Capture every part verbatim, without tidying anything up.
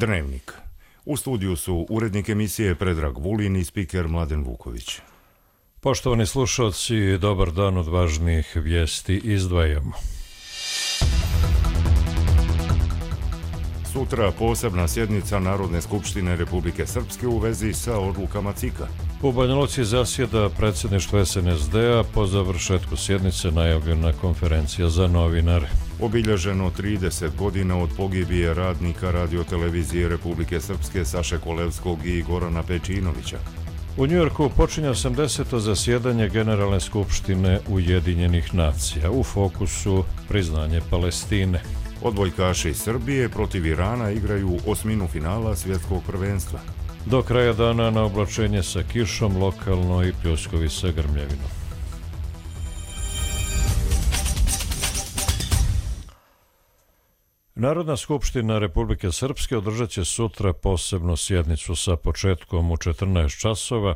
Dnevnik. U studiju su urednik emisije Predrag Vulin i spiker Mladen Vuković. Poštovani slušalci, dobar dan, od važnijih vijesti izdvajamo. Sutra posebna sjednica Narodne skupštine Republike Srpske u vezi sa odlukama C I K-a. U Banja Luci zasjeda predsjedništvo S N S D-a, po završetku sjednice najavljena konferencija za novinare. Obilježeno trideset godina od pogibije radnika radiotelevizije Republike Srpske Saše Kolevskog i Gorana Pečinovića. U Njujorku počinje osamdeseto zasjedanje Generalne skupštine Ujedinjenih nacija. U fokusu priznanje Palestine. Odbojkaši iz Srbije protiv Irana igraju osminu finala svjetskog prvenstva. Do kraja dana na oblačenje sa kišom, lokalno i pljuskovi sa grmljavinom. Narodna skupština Republike Srpske održat će sutra posebnu sjednicu sa početkom u četrnaest časova,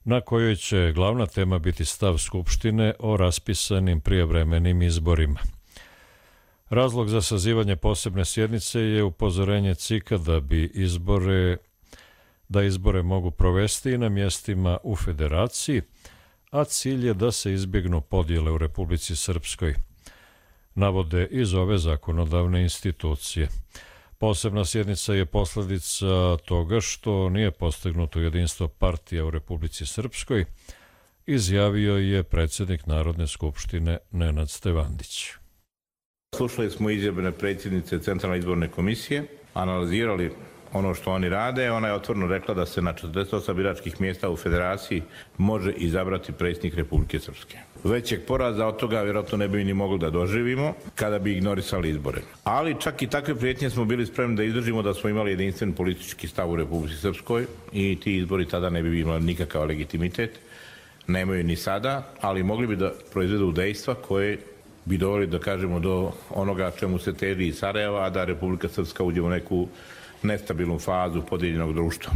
na kojoj će glavna tema biti stav Skupštine o raspisanim prijevremenim izborima. Razlog za sazivanje posebne sjednice je upozorenje C I K-a da bi izbore, da izbore mogu provesti i na mjestima u Federaciji, a cilj je da se izbjegnu podjele u Republici Srpskoj, navode iz ove zakonodavne institucije. Posebna sjednica je posljedica toga što nije postignuto jedinstvo partija u Republici Srpskoj, izjavio je predsjednik Narodne skupštine Nenad Stevandić. Slušali smo izjave predsjednice Centralne izborne komisije, analizirali ono što oni rade. Ona je otvoreno rekla da se na četrdeset osam biračkih mjesta u Federaciji može izabrati predsjednik Republike Srpske. Većeg poraza od toga vjerojatno ne bi ni mogli da doživimo kada bi ignorisali izbore. Ali čak i takve prijetnje smo bili spremni da izdržimo da smo imali jedinstven politički stav u Republici Srpskoj i ti izbori tada ne bi imali nikakav legitimitet. Nemaju ni sada, ali mogli bi da proizvedu dejstva koje bi doveli, da kažemo, do onoga čemu se teži iz Sarajeva, a da Republika Srpska uđe u neku nestabilnu fazu podijeljenog društva.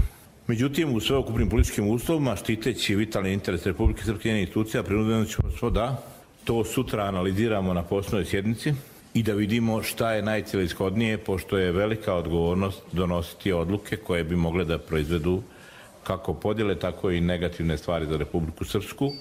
Međutim, u sveukupnim političkim uslovima, štiteći vitalni interes Republike Srpske i njene institucija, prinudeno ćemo da to sutra analiziramo na posebnoj sjednici i da vidimo šta je najcelishodnije, pošto je velika odgovornost donositi odluke koje bi mogle da proizvedu kako podjele, tako i negativne stvari za Republiku Srpsku.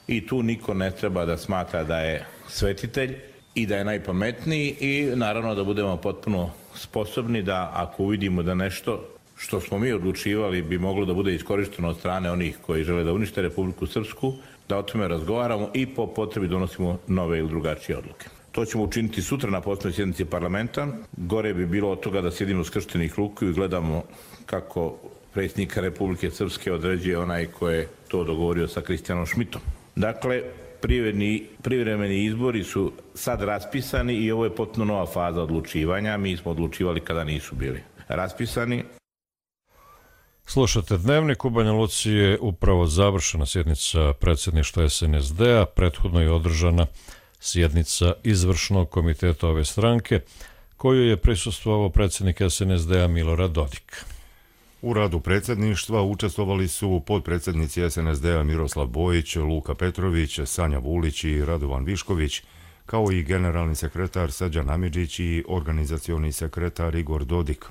I tu niko ne treba da smatra da je svetitelj i da je najpametniji i naravno da budemo potpuno sposobni da ako uvidimo da nešto što smo mi odlučivali bi moglo da bude iskorišteno od strane onih koji žele da unište Republiku Srpsku, da o tome razgovaramo i po potrebi donosimo nove ili drugačije odluke. To ćemo učiniti sutra na posebnoj sjednici parlamenta. Gore bi bilo od toga da sjedimo skrštenih ruku i gledamo kako predsjednika Republike Srpske određuje onaj ko je to dogovorio sa Kristijanom Šmitom. Dakle, privremeni izbori su sad raspisani i ovo je potpuno nova faza odlučivanja. Mi smo odlučivali kada nisu bili raspisani. Slušate Dnevnik. U Banja Luci je upravo završena sjednica predsjedništva S N S D-a, prethodno je održana sjednica izvršnog komiteta ove stranke, koju je prisustvovao predsjednik S N S D-a Milorad Dodik. U radu predsjedništva učestvovali su potpredsjednici S N S D-a Miroslav Bojić, Luka Petrović, Sanja Vulić i Radovan Višković, kao i generalni sekretar Srđan Amidžić i organizacioni sekretar Igor Dodik.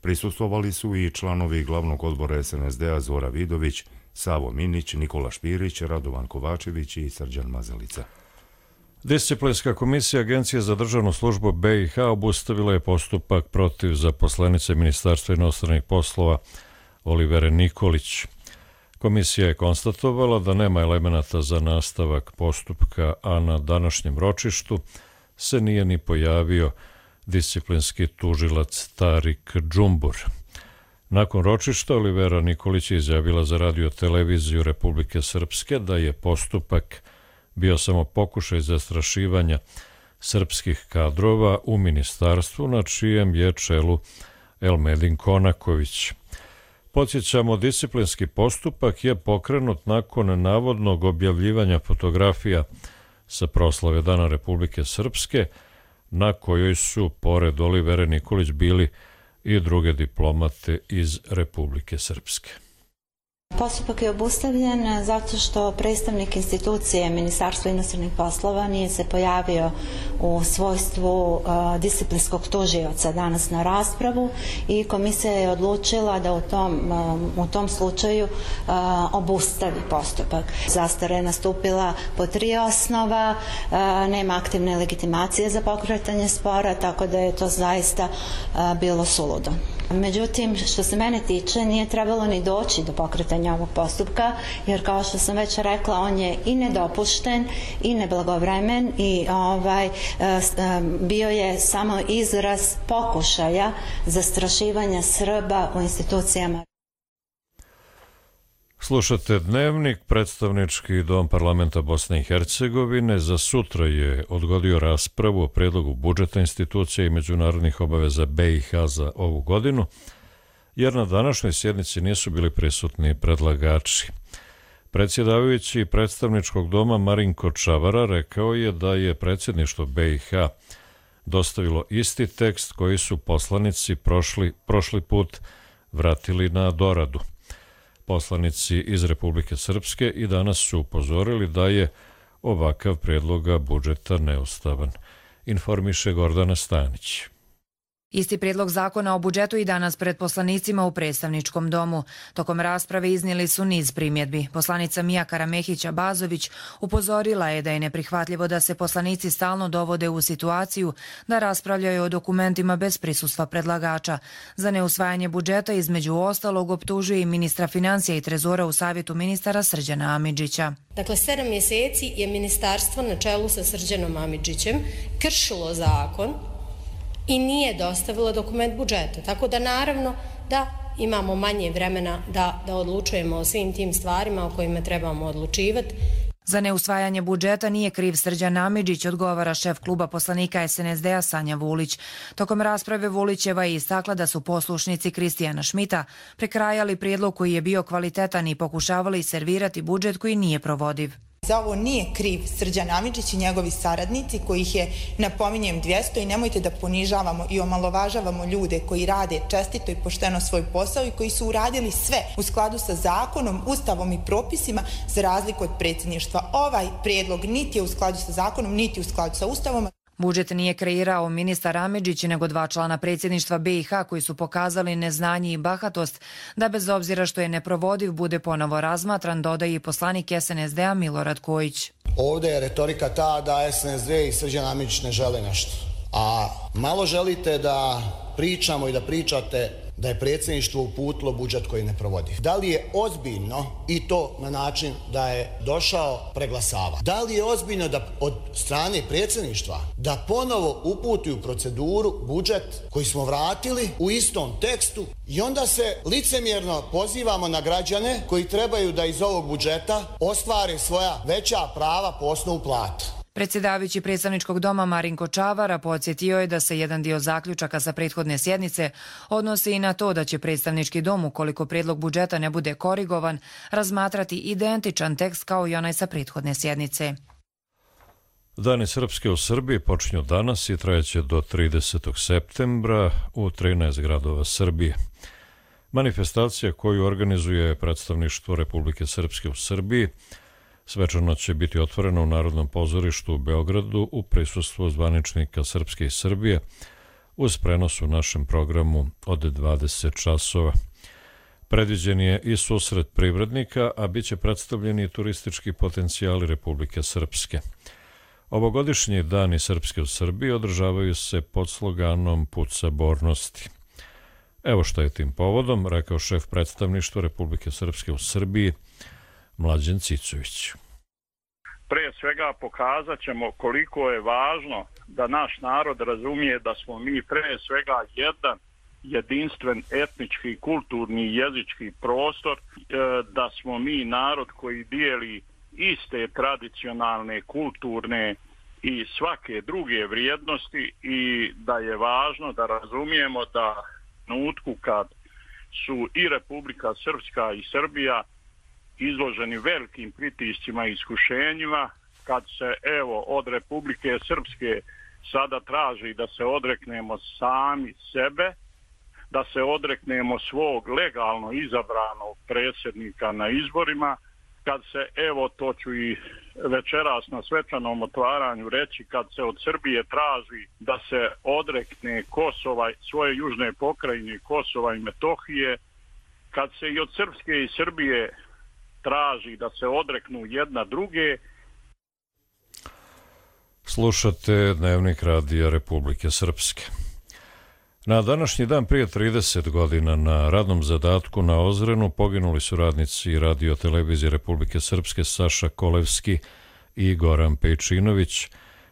Prisustvovali su i članovi glavnog odbora S N S D-a Zora Vidović, Savo Minić, Nikola Špirić, Radovan Kovačević i Srđan Mazalica. Disciplinska komisija Agencije za državnu službu B i H obustavila je postupak protiv zaposlenice Ministarstva inostranih poslova Olivere Nikolić. Komisija je konstatovala da nema elemenata za nastavak postupka, a na današnjem ročištu se nije ni pojavio disciplinski tužilac Tarik Džumbur. Nakon ročišta Olivera Nikolić je izjavila za radio televiziju Republike Srpske da je postupak bio samo pokušaj zastrašivanja srpskih kadrova u ministarstvu na čijem je čelu Elmedin Konaković. Podsjećamo, disciplinski postupak je pokrenut nakon navodnog objavljivanja fotografija sa proslave Dana Republike Srpske, na kojoj su, pored Olivere Nikolić, bili i druge diplomate iz Republike Srpske. Postupak je obustavljen zato što predstavnik institucije Ministarstva inostranih poslova nije se pojavio u svojstvu uh, disciplinskog tužioca danas na raspravu i komisija je odlučila da u tom, uh, u tom slučaju uh, obustavi postupak. Zastara je nastupila po tri osnova, uh, nema aktivne legitimacije za pokretanje spora, tako da je to zaista uh, bilo suludo. Međutim, što se mene tiče, nije trebalo ni doći do pokretanja ovog postupka, jer kao što sam već rekla, on je i nedopušten i neblagovremen i ovaj, bio je samo izraz pokušaja zastrašivanja Srba u institucijama. Slušate Dnevnik. Predstavnički dom parlamenta Bosne i Hercegovine za sutra je odgodio raspravu o predlogu budžeta institucija i međunarodnih obaveza B i H za ovu godinu, jer na današnjoj sjednici nisu bili prisutni predlagači. Predsjedavajući predstavničkog doma Marinko Čavara rekao je da je predsjedništvo B i H dostavilo isti tekst koji su poslanici prošli, prošli put vratili na doradu. Poslanici iz Republike Srpske i danas su upozorili da je ovakav prijedloga budžeta neustavan. Informiše Gordana Stanić. Isti prijedlog zakona o budžetu i danas pred poslanicima u predstavničkom domu. Tokom rasprave iznijeli su niz primjedbi. Poslanica Mija Karamehića-Bazović upozorila je da je neprihvatljivo da se poslanici stalno dovode u situaciju da raspravljaju o dokumentima bez prisustva predlagača. Za neusvajanje budžeta između ostalog optužuje i ministra financija i trezora u savjetu ministara Srđana Amidžića. Dakle, sedam mjeseci je ministarstvo na čelu sa Srđanom Amidžićem kršilo zakon i nije dostavila dokument budžeta. Tako da naravno da imamo manje vremena da, da odlučujemo o svim tim stvarima o kojima trebamo odlučivati. Za neusvajanje budžeta nije kriv Srđan Amidžić, odgovara šef kluba poslanika S N S D-a Sanja Vulić. Tokom rasprave Vulićeva je istakla da su poslušnici Kristijana Šmita prekrajali prijedlog koji je bio kvalitetan i pokušavali servirati budžet koji nije provodiv. Za ovo nije kriv Srđan Amidžić i njegovi saradnici, kojih je, napominjem, dvjesto, i nemojte da ponižavamo i omalovažavamo ljude koji rade čestito i pošteno svoj posao i koji su uradili sve u skladu sa zakonom, ustavom i propisima, za razliku od predsjedništva. Ovaj prijedlog niti je u skladu sa zakonom, niti u skladu sa ustavom. Budžet nije kreirao ministar Amidžić, nego dva člana predsjedništva B i H koji su pokazali neznanje i bahatost da bez obzira što je neprovodiv bude ponovo razmatran, dodaje i poslanik S N S D-a Milorad Kojić. Ovdje je retorika ta da S N S D i Srđan Amidžić ne žele nešto. A malo želite da pričamo i da pričate da je predsjedništvo uputilo budžet koji ne provodi. Da li je ozbiljno, i to na način da je došao preglasava, da li je ozbiljno da od strane predsjedništva da ponovo uputi u proceduru budžet koji smo vratili u istom tekstu i onda se licemjerno pozivamo na građane koji trebaju da iz ovog budžeta ostvare svoja veća prava po osnovu plata. Predsjedavajući predstavničkog doma Marinko Čavara podsjetio je da se jedan dio zaključaka sa prethodne sjednice odnosi i na to da će predstavnički dom, ukoliko prijedlog budžeta ne bude korigovan, razmatrati identičan tekst kao i onaj sa prethodne sjednice. Dani Srpske u Srbiji počinju danas i trajeće do tridesetog septembra u trinaest gradova Srbije. Manifestacija koju organizuje predstavništvo Republike Srpske u Srbiji svečano će biti otvorena u Narodnom pozorištu u Beogradu u prisustvu zvaničnika Srpske i Srbije uz prenos u našem programu od dvadeset časova. Predviđen je i susret privrednika, a bit će predstavljeni i turistički potencijali Republike Srpske. Ovogodišnji Dani Srpske u Srbiji održavaju se pod sloganom Put sabornosti. Evo šta je tim povodom rekao šef predstavništva Republike Srpske u Srbiji Mlađan Cicović. Pre svega pokazat ćemo koliko je važno da naš narod razumije da smo mi pre svega jedan jedinstven etnički, kulturni i jezički prostor, da smo mi narod koji dijeli iste tradicionalne, kulturne i svake druge vrijednosti i da je važno da razumijemo da trenutku kad su i Republika Srpska i Srbija izloženi velikim pritiscima i iskušenjima, kad se evo od Republike Srpske sada traži da se odreknemo sami sebe, da se odreknemo svog legalno izabranog predsjednika na izborima, kad se, evo to ću i večeras na svečanom otvaranju reći, kad se od Srbije traži da se odrekne Kosova, svoje južne pokrajine Kosova i Metohije, kad se i od Srpske i Srbije traži da se odreknu jedna druge. Slušate Dnevnik Radija Republike Srpske. Na današnji dan prije trideset godina na radnom zadatku na Ozrenu poginuli su radnici Radio televizije Republike Srpske Saša Kolevski i Goran Pejčinović,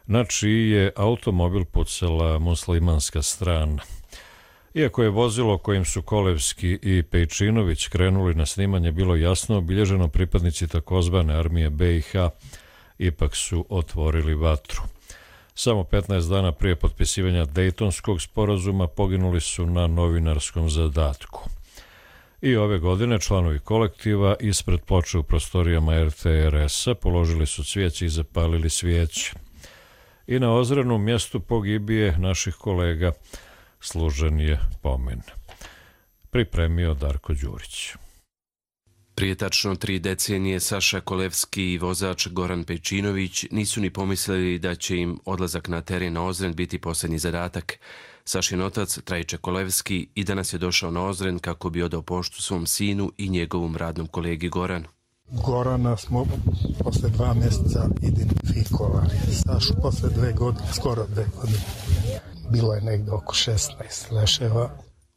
na čiji je automobil pucala muslimanska strana. Iako je vozilo kojim su Kolevski i Pejčinović krenuli na snimanje bilo jasno obilježeno, pripadnici takozvane armije B i H ipak su otvorili vatru. Samo petnaest dana prije potpisivanja Dejtonskog sporazuma poginuli su na novinarskom zadatku. I ove godine članovi kolektiva ispred ploče u prostorijama R T R S-a položili su cvijeće i zapalili svijeće. I na Ozrenu, mjestu pogibije naših kolega, služen je pomen. Pripremio Darko Đurić. Prije tačno tri decenije Saša Kolevski i vozač Goran Pejčinović nisu ni pomislili da će im odlazak na teren na Ozren biti posljednji zadatak. Sašin otac, Trajiče Kolevski, i danas je došao na Ozren kako bi odao poštu svom sinu i njegovom radnom kolegi Goranu. Gorana smo posle dva mjeseca identifikovali. Sašu posle dve godine, skoro dve godine. Bilo je negdje oko šesnaest leševa.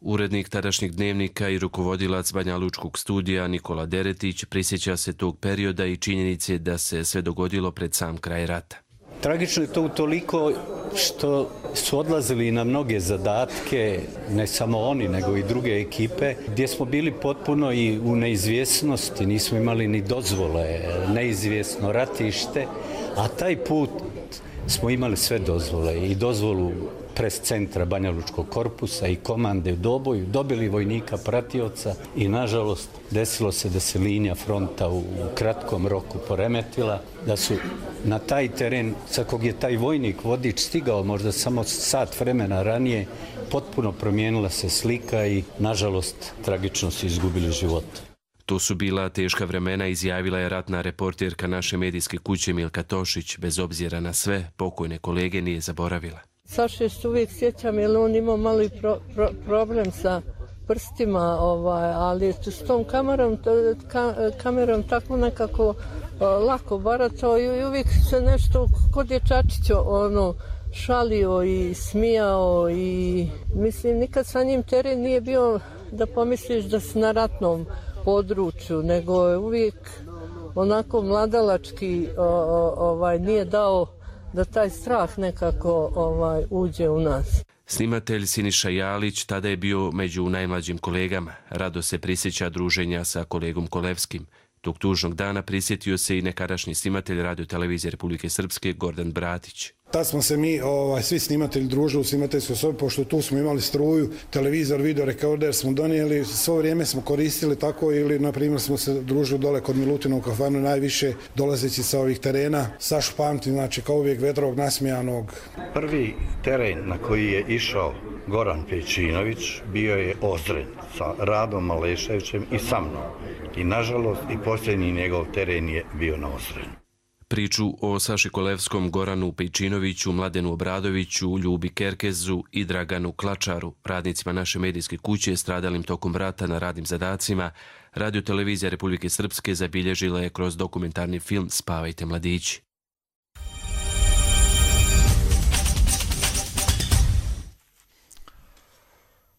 Urednik tadašnjeg Dnevnika i rukovodilac Banjalučkog studija Nikola Deretić prisjeća se tog perioda i činjenice da se sve dogodilo pred sam kraj rata. Tragično je to utoliko što su odlazili na mnoge zadatke, ne samo oni, nego i druge ekipe, gdje smo bili potpuno i u neizvjesnosti, nismo imali ni dozvole, neizvjesno ratište, a taj put smo imali sve dozvole i dozvolu pres centra Banjalučkog korpusa i komande u Doboju, dobili vojnika pratioca i nažalost desilo se da se linija fronta u kratkom roku poremetila, da su na taj teren sa kog je taj vojnik vodič stigao možda samo sat vremena ranije, potpuno promijenila se slika i nažalost tragično su izgubili život. To su bila teška vremena, izjavila je ratna reporterka naše medijske kuće Milka Tošić. Bez obzira na sve, pokojne kolege nije zaboravila. Saše se uvijek sjećam jer on imao malo i pro, pro, problem sa prstima, ovaj, ali s tom kamerom, ka, kamerom tako nekako uh, lako baratao i uvijek se nešto kod dječačića ono, šalio i smijao i mislim nikad sa njim teren nije bio da pomisliš da si na ratnom području, nego je uvijek onako mladalački o, o, ovaj, nije dao da taj strah nekako ovaj, uđe u nas. Snimatelj Siniša Jalić tada je bio među najmlađim kolegama. Rado se prisjeća druženja sa kolegom Kolevskim. Tog tužnog dana prisjetio se i nekadašnji snimatelj Radio televizije Republike Srpske Gordan Bratić. Tad smo se mi, ovaj, svi snimatelji družili u snimateljskoj sobi, pošto tu smo imali struju, televizor, video rekorder smo donijeli, svo vrijeme smo koristili tako ili, na primjer, smo se družili dole kod Milutina u kafanu, najviše dolazeći sa ovih terena. Sašu pamtim, znači, kao uvijek vedrog, nasmijanog. Prvi teren na koji je išao Goran Pejčinović bio je Ozren sa Radom Maleševićem i sa mnom. I, nažalost, i posljednji njegov teren je bio na Ozrenu. Priču o Saši Kolevskom, Goranu Pejčinoviću, Mladenu Obradoviću, Ljubi Kerkezu i Draganu Klačaru, radnicima naše medijske kuće stradalim tokom rata na radnim zadacima, Radio televizija Republike Srpske zabilježila je kroz dokumentarni film Spavajte mladići.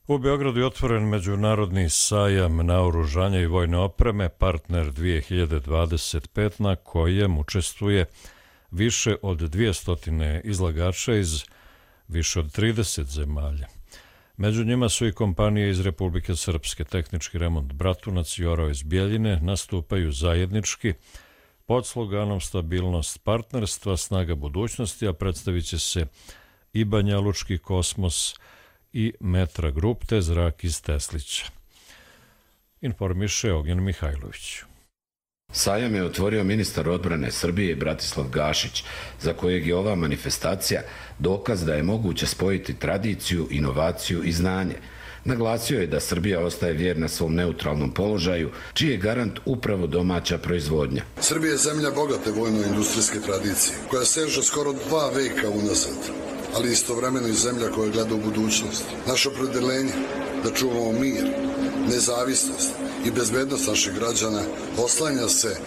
U Beogradu je otvoren međunarodni sajam naoružanja i vojne opreme Partner dvije hiljade dvadeset pet na kojem učestvuje više od dvjesto izlagača iz više od trideset zemalja. Među njima su i kompanije iz Republike Srpske. Tehnički remont Bratunac i Orao iz Bjeljine nastupaju zajednički pod sloganom Stabilnost partnerstva, snaga budućnosti, a predstavit će se i Banjalučki kosmos i Metra Grup te Zrak iz Teslića. Informiše Ognjen Mihajlović. Sajam je otvorio ministar odbrane Srbije Bratislav Gašić, za kojeg je ova manifestacija dokaz da je moguće spojiti tradiciju, inovaciju i znanje. Naglasio je da Srbija ostaje vjerna svom neutralnom položaju, čiji je garant upravo domaća proizvodnja. Srbija je zemlja bogate vojno-industrijske tradicije, koja seže skoro dva veka unazad, ali istovremeno i zemlja koja gleda u budućnost. Naše opredeljenje da čuvamo mir, nezavisnost i bezbednost naših građana oslanja se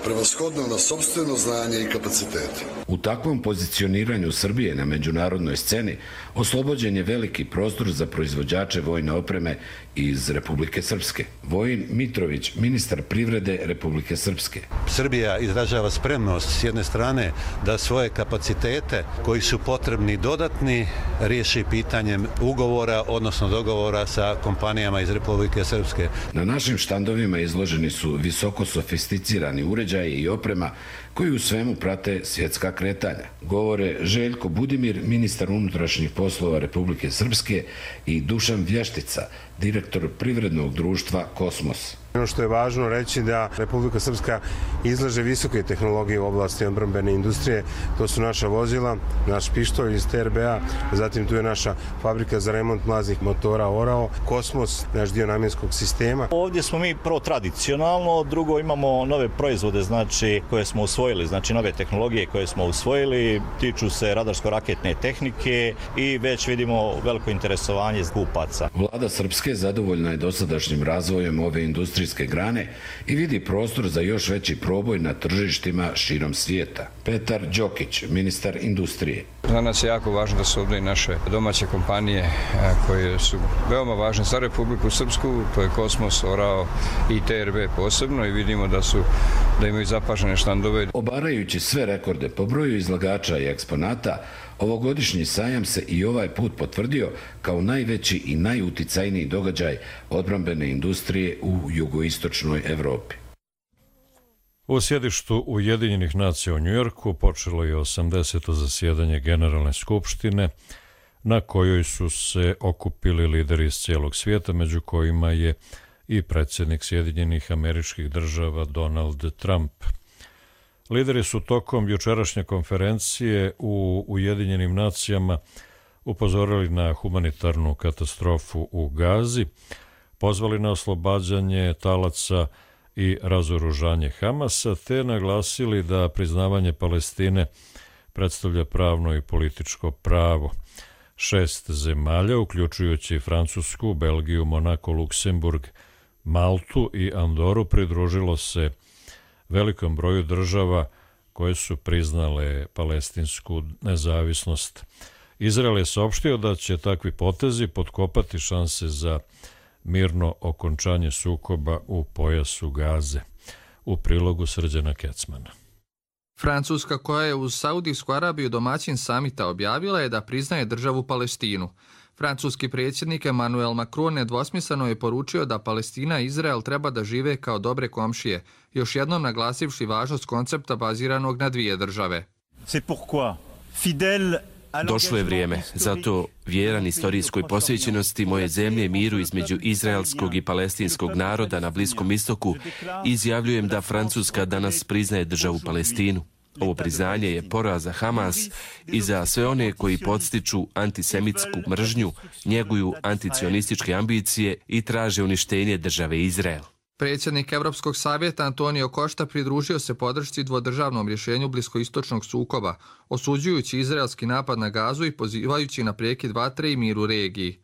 prevashodno na sopstveno znanje i kapacitete. U takvom pozicioniranju Srbije na međunarodnoj sceni oslobođen je veliki prostor za proizvođače vojne opreme iz Republike Srpske. Vojin Mitrović, ministar privrede Republike Srpske. Srbija izražava spremnost s jedne strane da svoje kapacitete koji su potrebni dodatni riješi pitanjem ugovora, odnosno dogovora sa kompanijama iz Republike Srpske. Na našim štandovima izloženi su visoko sofisticirani uređaji i oprema koji u svemu prate svjetska kretanja. Govore Željko Budimir, ministar unutrašnjih poslova Republike Srpske, i Dušan Vještica, direktor privrednog društva Kosmos. Ono što je važno reći da Republika Srpska izlaže visoke tehnologije u oblasti odbrambene industrije. To su naša vozila, naš pištolj iz T R B A, zatim tu je naša fabrika za remont mlaznih motora Orao, Kosmos, naš dio namjenskog sistema. Ovdje smo mi prvo tradicionalno, drugo imamo nove proizvode, znači koje smo usvojili, znači nove tehnologije koje smo usvojili, tiču se radarsko-raketne tehnike i već vidimo veliko interesovanje kupaca. Vlada Srpske zadovoljna je dosadašnjim razvojem ove industrije grane i vidi prostor za još veći proboj na tržištima širom svijeta. Petar Đokić, ministar industrije. Za nas je jako važno da su ovdje i naše domaće kompanije koje su veoma važne za Republiku Srpsku, to je Kosmos, Orao i T R B posebno, i vidimo da su da imaju zapažene štandove. Obarajući sve rekorde po broju izlagača i eksponata, ovogodišnji sajam se i ovaj put potvrdio kao najveći i najuticajniji događaj odbrambene industrije u jugoistočnoj Evropi. U sjedištu Ujedinjenih nacija u Njujorku počelo je osamdeseto zasjedanje Generalne skupštine, na kojoj su se okupili lideri iz cijelog svijeta, među kojima je i predsjednik Sjedinjenih Američkih Država Donald Trump. Lideri su tokom jučerašnje konferencije u Ujedinjenim nacijama upozorili na humanitarnu katastrofu u Gazi, pozvali na oslobađanje talaca i razoružanje Hamasa, te naglasili da priznavanje Palestine predstavlja pravno i političko pravo. Šest zemalja, uključujući Francusku, Belgiju, Monako, Luksemburg, Maltu i Andoru, pridružilo se velikom broju država koje su priznale palestinsku nezavisnost. Izrael je saopštio da će takvi potezi potkopati šanse za mirno okončanje sukoba u pojasu Gaze. U prilogu Srđana Kecmana. Francuska, koja je uz Saudijsku Arabiju domaćin samita, objavila je da priznaje državu Palestinu. Francuski predsjednik Emmanuel Macron nedvosmisleno je poručio da Palestina i Izrael treba da žive kao dobre komšije, još jednom naglasivši važnost koncepta baziranog na dvije države. Došlo je vrijeme, zato vjeran istorijskoj posvećenosti moje zemlje miru između izraelskog i palestinskog naroda na Bliskom istoku, izjavljujem da Francuska danas priznaje državu Palestinu. Ovo priznanje je poraz za Hamas i za sve one koji podstiču antisemitsku mržnju, njeguju anticionističke ambicije i traže uništenje države Izrael. Predsjednik Evropskog savjeta Antonio Costa pridružio se podršci dvodržavnom rješenju bliskoistočnog sukoba, osuđujući izraelski napad na Gazu i pozivajući na prekid vatre i mir u regiji.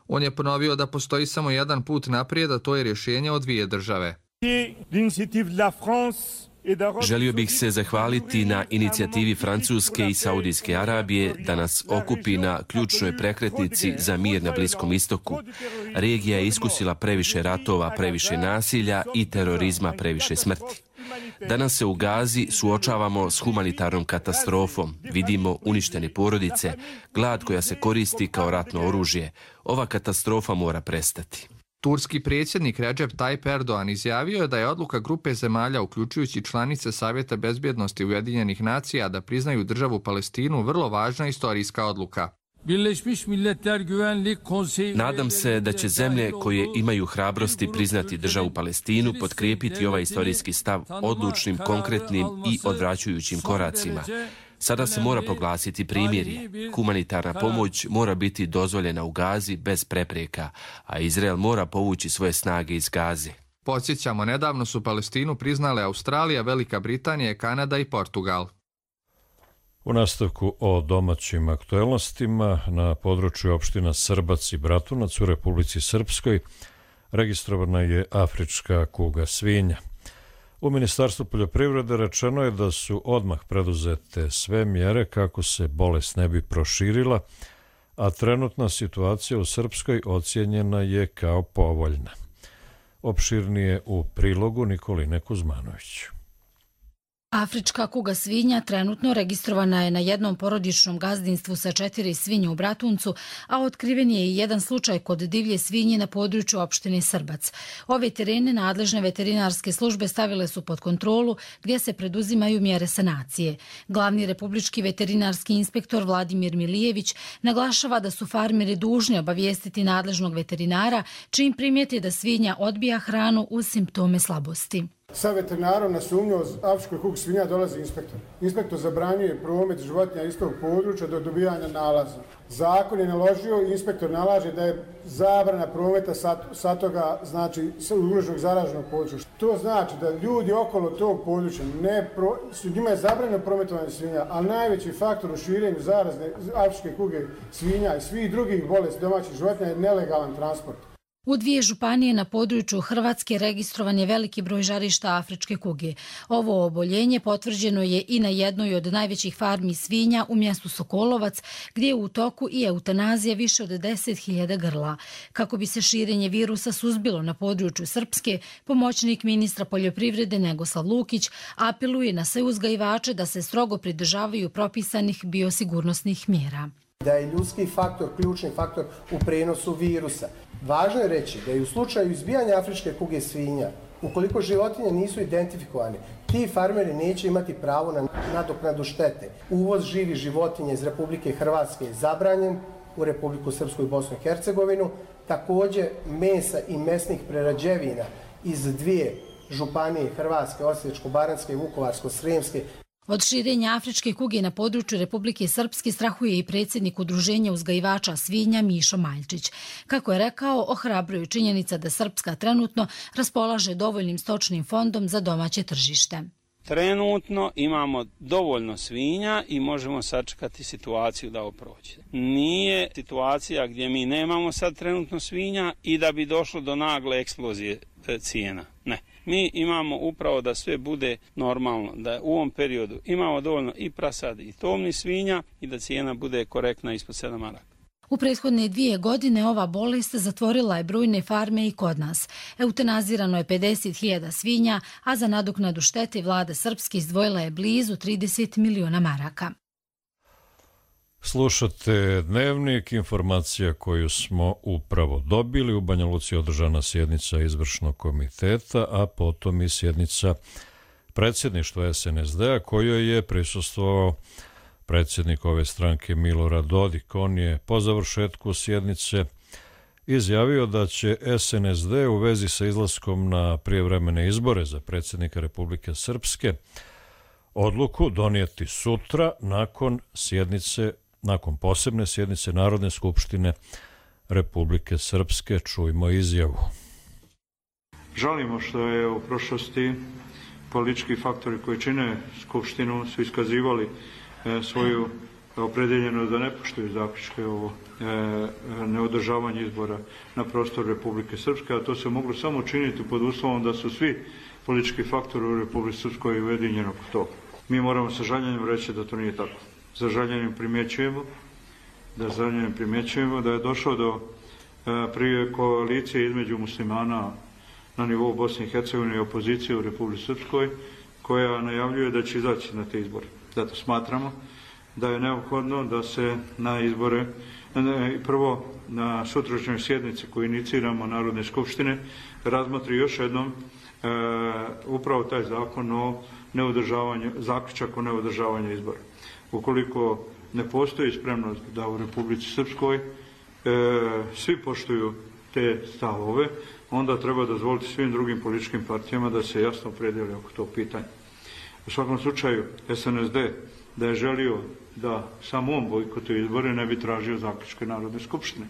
On je ponovio da postoji samo jedan put naprijed, a to je rješenje od dvije države. Želio bih se zahvaliti na inicijativi Francuske i Saudijske Arabije da nas okupi na ključnoj prekretnici za mir na Bliskom istoku. Regija je iskusila previše ratova, previše nasilja i terorizma, previše smrti. Danas se u Gazi suočavamo s humanitarnom katastrofom. Vidimo uništene porodice, glad koja se koristi kao ratno oružje. Ova katastrofa mora prestati. Turski predsjednik Recep Tayyip Erdogan izjavio je da je odluka grupe zemalja, uključujući članice Savjeta bezbjednosti Ujedinjenih nacija, da priznaju državu Palestinu vrlo važna istorijska odluka. Nadam se da će zemlje koje imaju hrabrosti priznati državu Palestinu potkrijepiti ovaj istorijski stav odlučnim, konkretnim i odvraćajućim koracima. Sada se mora proglasiti primirje. Humanitarna pomoć mora biti dozvoljena u Gazi bez prepreka, a Izrael mora povući svoje snage iz Gaze. Podsjećamo, nedavno su Palestinu priznale Australija, Velika Britanija, Kanada i Portugal. U nastavku o domaćim aktuelnostima, na području opština Srbac i Bratunac u Republici Srpskoj registrovana je afrička kuga svinja. U Ministarstvu poljoprivrede rečeno je da su odmah preduzete sve mjere kako se bolest ne bi proširila, a trenutna situacija u Srpskoj ocijenjena je kao povoljna. Opširnije u prilogu Nikoline Kuzmanović. Afrička kuga svinja trenutno registrovana je na jednom porodičnom gazdinstvu sa četiri svinje u Bratuncu, a otkriven je i jedan slučaj kod divlje svinje na području opštine Srbac. Ove terene nadležne veterinarske službe stavile su pod kontrolu gdje se preduzimaju mjere sanacije. Glavni republički veterinarski inspektor Vladimir Milijević naglašava da su farmeri dužni obavijestiti nadležnog veterinara čim primijeti da svinja odbija hranu uz simptome slabosti. Sa veterinarom na sumnju o afričkoj kugi svinja dolazi inspektor. Inspektor zabranjuje promet životinja iz tog područja do dobijanja nalaza. Zakon je naložio i inspektor nalaže da je zabrana prometa sa toga, znači ugroženog zaraženog područja. To znači da ljudi okolo tog područja, ne pro, njima je zabranjeno prometovanje svinja, ali najveći faktor u širenju zarazne afričke kuge svinja i svih drugih bolesti domaćih životinja je nelegalan transport. U dvije županije na području Hrvatske registrovan je veliki broj žarišta afričke kuge. Ovo oboljenje potvrđeno je i na jednoj od najvećih farmi svinja u mjestu Sokolovac, gdje je u toku i eutanazija više od deset hiljada grla. Kako bi se širenje virusa suzbilo na području Srpske, pomoćnik ministra poljoprivrede Negoslav Lukić apeluje na sve uzgajivače da se strogo pridržavaju propisanih biosigurnosnih mjera. Da je ljudski faktor ključni faktor u prenosu virusa. Važno je reći da je u slučaju izbijanja afričke kuge svinja, ukoliko životinje nisu identifikovane, ti farmeri neće imati pravo na nadoknadu štete. Uvoz živih životinja iz Republike Hrvatske je zabranjen u Republiku Srpsku i Bosnu i Hercegovinu. Također mesa i mesnih prerađevina iz dvije županije Hrvatske, Osječko-baranjske i Vukovarsko-srijemske. Od širenja afričke kuge na području Republike Srpske strahuje i predsjednik udruženja uzgajivača svinja Mišo Maljčić. Kako je rekao, ohrabruju činjenica da Srpska trenutno raspolaže dovoljnim stočnim fondom za domaće tržište. Trenutno imamo dovoljno svinja i možemo sačekati situaciju da ovo prođe. Nije situacija gdje mi nemamo sad trenutno svinja i da bi došlo do nagle eksplozije cijena. Ne. Mi imamo upravo da sve bude normalno, da u ovom periodu imamo dovoljno i prasadi i tovnih svinja i da cijena bude korektna ispod sedam maraka. U prethodne dvije godine ova bolest zatvorila je brojne farme i kod nas. Eutanazirano je pedeset hiljada svinja, a za nadoknadu štete vlada Srpske izdvojila je blizu trideset miliona maraka. Slušate Dnevnik, informacija koju smo upravo dobili. U Banja Luci održana sjednica izvršnog komiteta, a potom i sjednica predsjedništva es en es de a kojoj je prisustvovao predsjednik ove stranke Milorad Dodik. On je po završetku sjednice izjavio da će es en es de u vezi sa izlaskom na prijevremene izbore za predsjednika Republike Srpske odluku donijeti sutra nakon sjednice, nakon posebne sjednice Narodne skupštine Republike Srpske. Čujmo izjavu. Žalimo što je u prošlosti politički faktori koji čine skupštinu su iskazivali e, svoju opredeljenost da ne poštuju zaključke o e, neodržavanju izbora na prostoru Republike Srpske, a to se moglo samo činiti pod uslovom da su svi politički faktori u Republike Srpskoj ujedinjeni oko toga. Mi moramo sa žaljenjem reći da to nije tako. Sa žaljenjem primjećujemo da, žaljenjem primjećujemo da je došlo do e, prije koalicije između muslimana na nivou Bosne i Hercegovine i opozicije u Republici Srpskoj, koja najavljuje da će izaći na te izbore. Zato smatramo da je neophodno da se na izbore, prvo na sutrašnjoj sjednici koju iniciramo Narodne skupštine, razmotri još jednom e, upravo taj zakon o neodržavanju, zaključak o neodržavanju izbora. Ukoliko ne postoji spremnost da u Republici Srpskoj e, svi poštuju te stavove, onda treba dozvoliti svim drugim političkim partijama da se jasno opredele oko tog pitanja. U svakom slučaju S N S D da je želio da samo on bojkotuje izbore, ne bi tražio zaključke Narodne skupštine.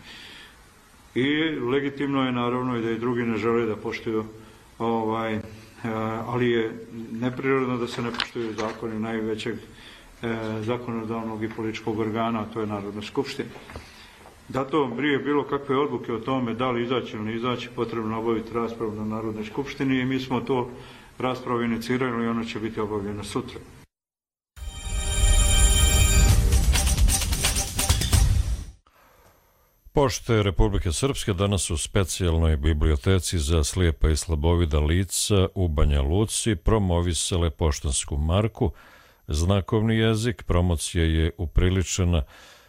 I legitimno je naravno i da i drugi ne žele da poštuju, ovaj, ali je neprirodno da se ne poštuju zakoni najvećeg zakonodavnog i političkog organa, a to je Narodna skupština. Zato prije bilo kakve odluke o tome da li izaći ili ne izaći, potrebno obaviti raspravu na Narodnoj skupštini i mi smo to raspravu inicirali i ono će biti obavljeno sutra. Pošte Republike Srpske danas u specijalnoj biblioteci za slijepa i slabovida lica u Banja Luci promovisale poštansku marku. Znakovni jezik promocija je upriličena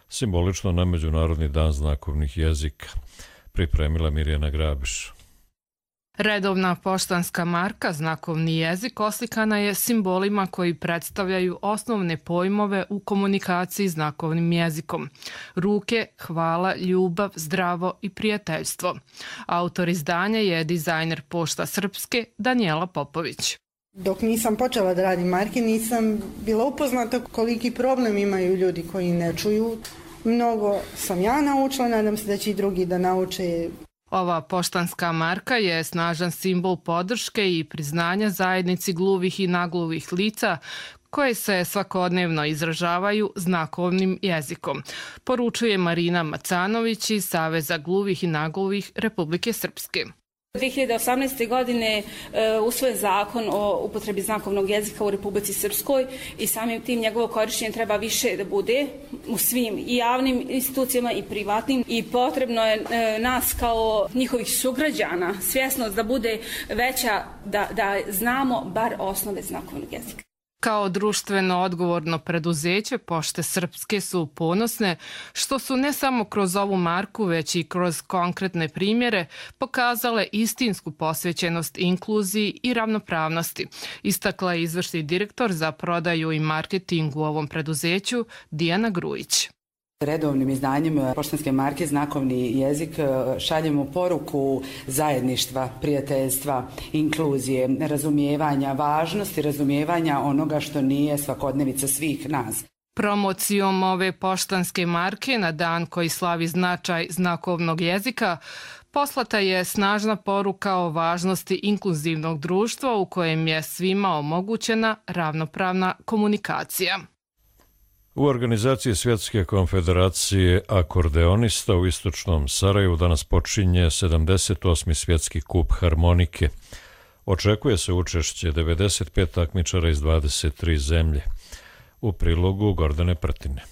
simbolično na Međunarodni dan znakovnih jezika. Pripremila Mirjana Grabiš. Redovna poštanska marka znakovni jezik oslikana je simbolima koji predstavljaju osnovne pojmove u komunikaciji znakovnim jezikom. Ruke, hvala, ljubav, zdravo i prijateljstvo. Autor izdanja je dizajner Pošta Srpske Danijela Popović. Dok nisam počela da radim marke, nisam bila upoznata koliki problem imaju ljudi koji ne čuju. Mnogo sam ja naučila, nadam se da će i drugi da nauče. Ova poštanska marka je snažan simbol podrške i priznanja zajednici gluvih i nagluvih lica koje se svakodnevno izražavaju znakovnim jezikom, poručuje Marina Macanović iz Saveza gluvih i nagluvih Republike Srpske. dvije hiljade osamnaeste. godine usvojen zakon o upotrebi znakovnog jezika u Republici Srpskoj i samim tim njegovo korištenje treba više da bude u svim i javnim institucijama i privatnim i potrebno je nas kao njihovih sugrađana svjesnost da bude veća, da, da znamo bar osnove znakovnog jezika. Kao društveno odgovorno preduzeće Pošte Srpske su ponosne što su ne samo kroz ovu marku, već i kroz konkretne primjere pokazale istinsku posvećenost inkluziji i ravnopravnosti, istakla je izvršni direktor za prodaju i marketing u ovom preduzeću Dijana Grujić. Redovnim izdanjem poštanske marke znakovni jezik šaljemo poruku zajedništva, prijateljstva, inkluzije, razumijevanja, važnosti razumijevanja onoga što nije svakodnevica svih nas. Promocijom ove poštanske marke na dan koji slavi značaj znakovnog jezika poslata je snažna poruka o važnosti inkluzivnog društva u kojem je svima omogućena ravnopravna komunikacija. U organizaciji Svjetske konfederacije akordeonista u istočnom Sarajevu danas počinje sedamdeset osmi svjetski kup harmonike. Očekuje se učešće devedeset pet takmičara iz dvadeset tri zemlje. U prilogu Gordane Prtine.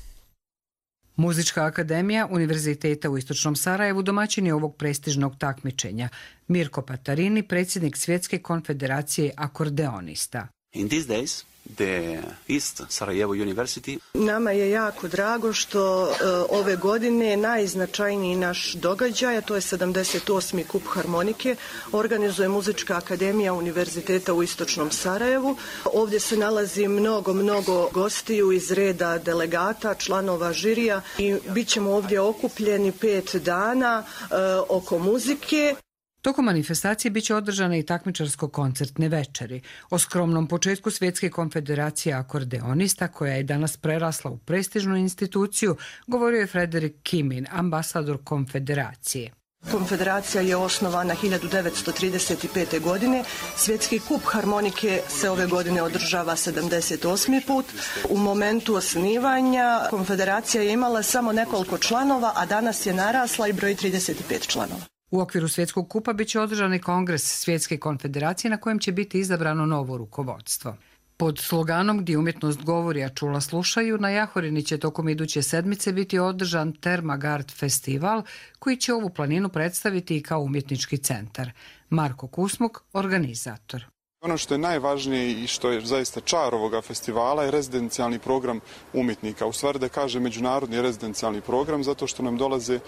Muzička akademija Univerziteta u istočnom Sarajevu domaćin je ovog prestižnog takmičenja. Mirko Patarini, predsjednik Svjetske konfederacije akordeonista. In these days, the East Sarajevo University. Nama je jako drago što uh, ove godine najznačajniji naš događaj, a to je sedamdeset osmi kup harmonike, organizuje Muzička akademija Univerziteta u istočnom Sarajevu. Ovdje se nalazi mnogo, mnogo gostiju iz reda delegata, članova žirija i bit ćemo ovdje okupljeni pet dana uh, oko muzike. Tokom manifestacije biće održane i takmičarsko-koncertne večeri. O skromnom početku Svjetske konfederacije akordeonista, koja je danas prerasla u prestižnu instituciju, govorio je Frederik Kimin, ambasador konfederacije. Konfederacija je osnovana hiljadu devetsto trideset pete. godine. Svjetski kup harmonike se ove godine održava sedamdeset osmi put. U momentu osnivanja konfederacija je imala samo nekoliko članova, a danas je narasla i broji trideset pet članova. U okviru Svjetskog kupa biće održan i kongres Svjetske konfederacije na kojem će biti izabrano novo rukovodstvo. Pod sloganom Gdje umjetnost govori, a čula slušaju, na Jahorini će tokom iduće sedmice biti održan Termagard festival koji će ovu planinu predstaviti i kao umjetnički centar. Marko Kusmuk, organizator. Ono što je najvažnije i što je zaista čar ovoga festivala je rezidencijalni program umjetnika. U stvari da kaže međunarodni rezidencijalni program zato što nam dolaze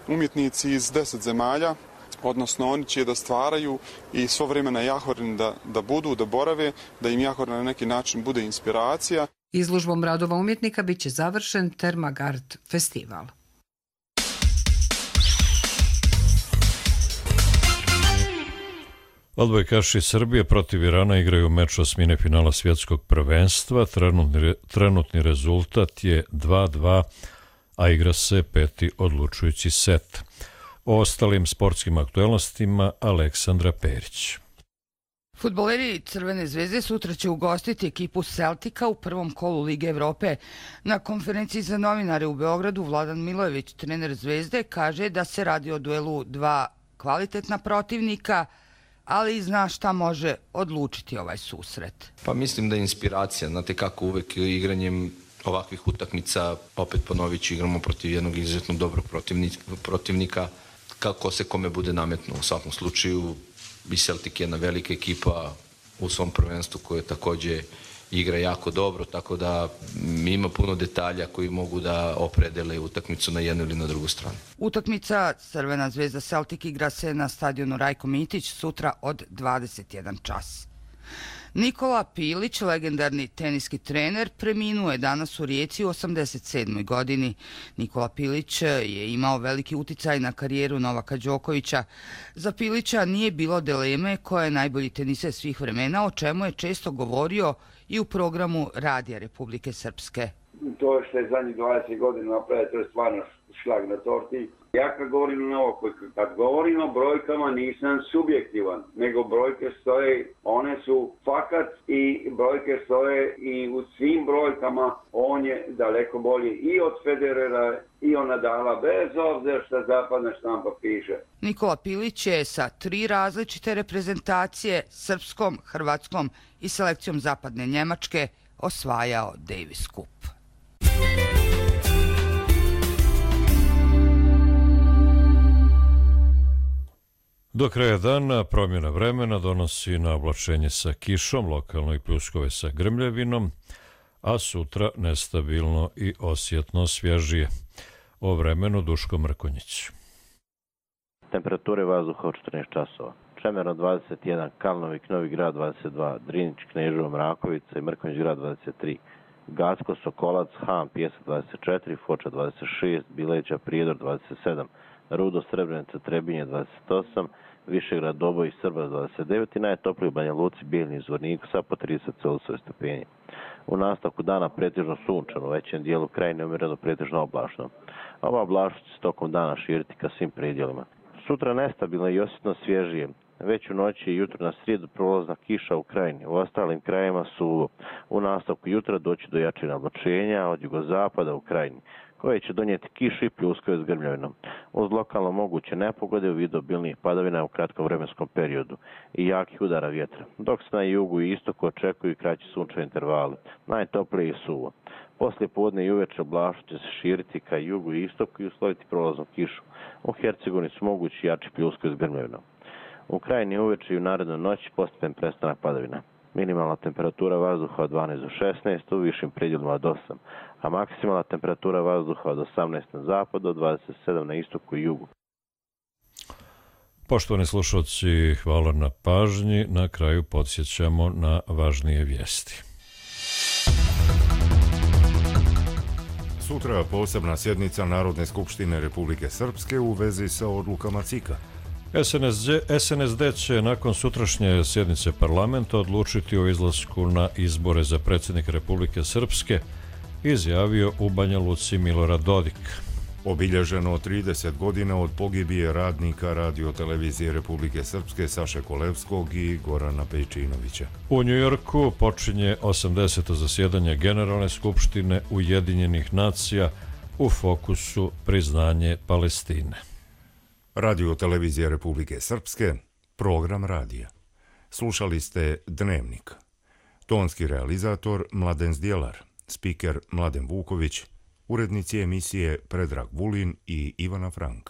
umjetnici iz deset zemalja, odnosno oni će da stvaraju i svo vrijeme na Jahorini da, da budu, da borave, da im Jahorina na neki način bude inspiracija. Izložbom radova umjetnika bit će završen Termagard festival. Odbojkaši Srbije protiv Irana igraju meč osmine finala svjetskog prvenstva. Trenutni, trenutni rezultat je dva dva, a igra se peti odlučujući set. O ostalim sportskim aktualnostima Aleksandra Perić. Fudbaleri Crvene zvezde sutra će ugostiti ekipu Celtica u prvom kolu Lige Evrope. Na konferenciji za novinare u Beogradu Vladan Milojević, trener Zvezde, kaže da se radi o duelu dva kvalitetna protivnika, ali zna šta može odlučiti ovaj susret. Pa mislim da je inspiracija. Znate kako uvek igranjem ovakvih utakmica, opet ponovit ću, igramo protiv jednog izuzetno dobrog protivnika, kako se kome bude nametno. U svakom slučaju i Celtic je jedna velika ekipa u svom prvenstvu koja također igra jako dobro, tako da ima puno detalja koji mogu da opredele utakmicu na jednu ili na drugu stranu. Utakmica Crvena zvezda Celtic igra se na stadionu Rajko Mitić sutra od dvadeset jedan čas. Nikola Pilić, legendarni teniski trener, preminuo je danas u Rijeci u osamdeset sedmoj godini. Nikola Pilić je imao veliki uticaj na karijeru Novaka Đokovića. Za Pilića nije bilo dileme ko je najbolji teniser svih vremena, o čemu je često govorio i u programu Radija Republike Srpske. To što je zadnjih dvadeset godina napravio, to je stvarno šlag na torti. Ja kad govorim na ovo, kad govorim o brojkama nisam subjektivan, nego brojke stoje, one su fakat i brojke stoje i u svim brojkama on je daleko bolji i od Federera i od Nadala, bez obzira što zapadna štampa piše. Nikola Pilić je sa tri različite reprezentacije, srpskom, hrvatskom i selekcijom zapadne Njemačke, osvajao Davis Cup. Do kraja dana promjena vremena donosi na oblačenje sa kišom, lokalno i pljuskove sa grmljavinom, a sutra nestabilno i osjetno svježije. O vremenu Duško Mrkonjić. Temperature vazduha od četrnaest časova. Čemerno dvadeset jedan, Kalnovik, Novi Grad dvadeset dva, Drinić, Kneževo, Mrakovica i Mrkonjić Grad dvadeset tri, Gacko, Sokolac, Ham, Pjesak dvadeset četiri, Foča dvadeset šest, Bileća, Prijedor dvadeset sedam, Rudo, Srebrenica, Trebinje dvadeset osam, Višegrad, Doboj i Srbas dvadeset devet i najtopliji u Banja Luci, Bijeljni i Zvorniku sa po trideset Celzijusove stepeni. U nastavku dana pretežno sunčano, u većem dijelu krajine umjereno pretežno oblačno. Ova oblačnost će se tokom dana širiti ka svim predjelima. Sutra nestabilno i osjetno svježije. Već u noći i jutro na srijedu prolazna kiša u krajini. U ostalim krajima suvo. U nastavku jutra doći do jačina oblačenja od jugozapada u krajini, koje će donijeti kišu i pljuskove s grmljavinom, uz lokalno moguće nepogode u vidu obilnih padavina u kratkom vremenskom periodu i jakih udara vjetra, dok se na jugu i istoku očekuju kraći sunčevi intervali, najtoplije i suvo. Poslije podne i uveče oblačnost će se širiti ka jugu i istoku i usloviti prolaznu kišu. U Hercegovini su mogući jači pljuskovi s grmljavinom. U krajini uveče i u narednoj noći postepen prestanak padavina. Minimalna temperatura vazduha od dvanaest do šesnaest, u višim predjelima od osam, a maksimalna temperatura vazduha od osamnaest na zapadu do dvadeset sedam na istoku i jugu. Poštovani slušalci, hvala na pažnji. Na kraju podsjećamo na važnije vijesti. Sutra posebna sjednica Narodne skupštine Republike Srpske u vezi sa odlukama C I K-a. S N S D će nakon sutrašnje sjednice parlamenta odlučiti o izlasku na izbore za predsjednika Republike Srpske, izjavio u Banja Luci Milorad Dodik. Obilježeno trideset godina od pogibije radnika Radio-televizije Republike Srpske Saše Kolevskog i Gorana Pejčinovića. U Njujorku počinje osamdeseto zasjedanje Generalne skupštine Ujedinjenih nacija, u fokusu priznanje Palestine. Radio-televizija Republike Srpske, program radija. Slušali ste Dnevnik. Tonski realizator Mladen Zdjelar, spiker Mladen Vuković, urednici emisije Predrag Vulin i Ivana Frank.